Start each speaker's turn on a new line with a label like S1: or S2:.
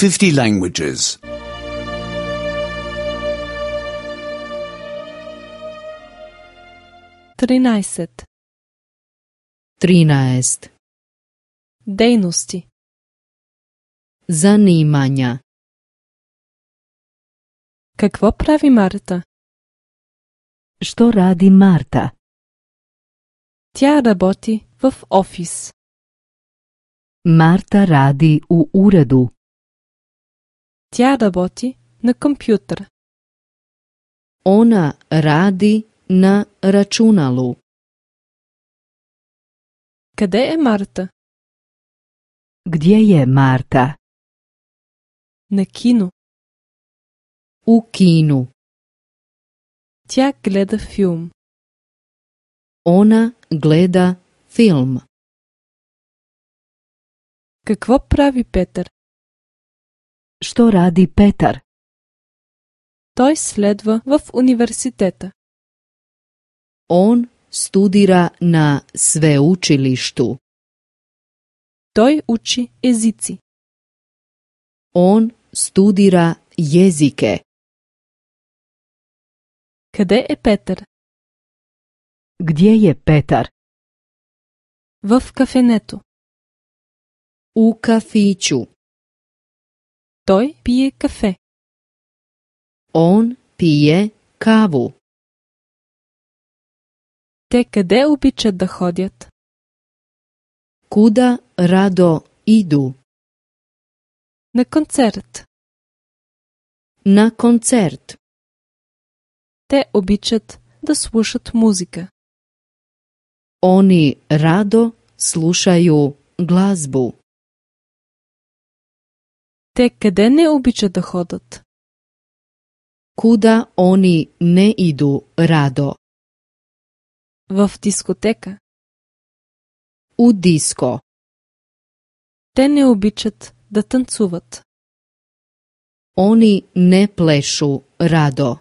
S1: 50 languages.
S2: 13.
S3: 13.
S2: Дейности.
S3: Zanimanja.
S2: Какво прави Марта?
S3: Što radi Marta?
S2: Тя работи в офис.
S3: Marta radi u uredu.
S2: Тя работи на компютър.
S3: Ona radi na računalu.
S2: Къде е Марта?
S3: Gdje je Marta?
S2: На кино.
S3: U kinu.
S2: Тя гледа филм.
S3: Ona gleda film.
S2: Какво прави Петър?
S3: Što radi Petar?
S2: Той следва в университета.
S3: On studira na sveučilištu.
S2: Той учи езици.
S3: On studira jezike.
S2: Къде е Петър?
S3: Gdje je Petar?
S2: В кафенето.
S3: U kafiću.
S2: Той пие кафе.
S3: On pije kavu.
S2: Те къде обичат да ходят?
S3: Kuda rado idu?
S2: На концерт.
S3: Na koncert.
S2: Те обичат да слушат музика.
S3: Oni rado slušaju glazbu.
S2: Те къде не обичат да ходят?
S3: Kuda oni ne idu rado?
S2: В дискотека.
S3: U disko.
S2: Те не обичат да танцуват.
S3: Oni ne plešu rado.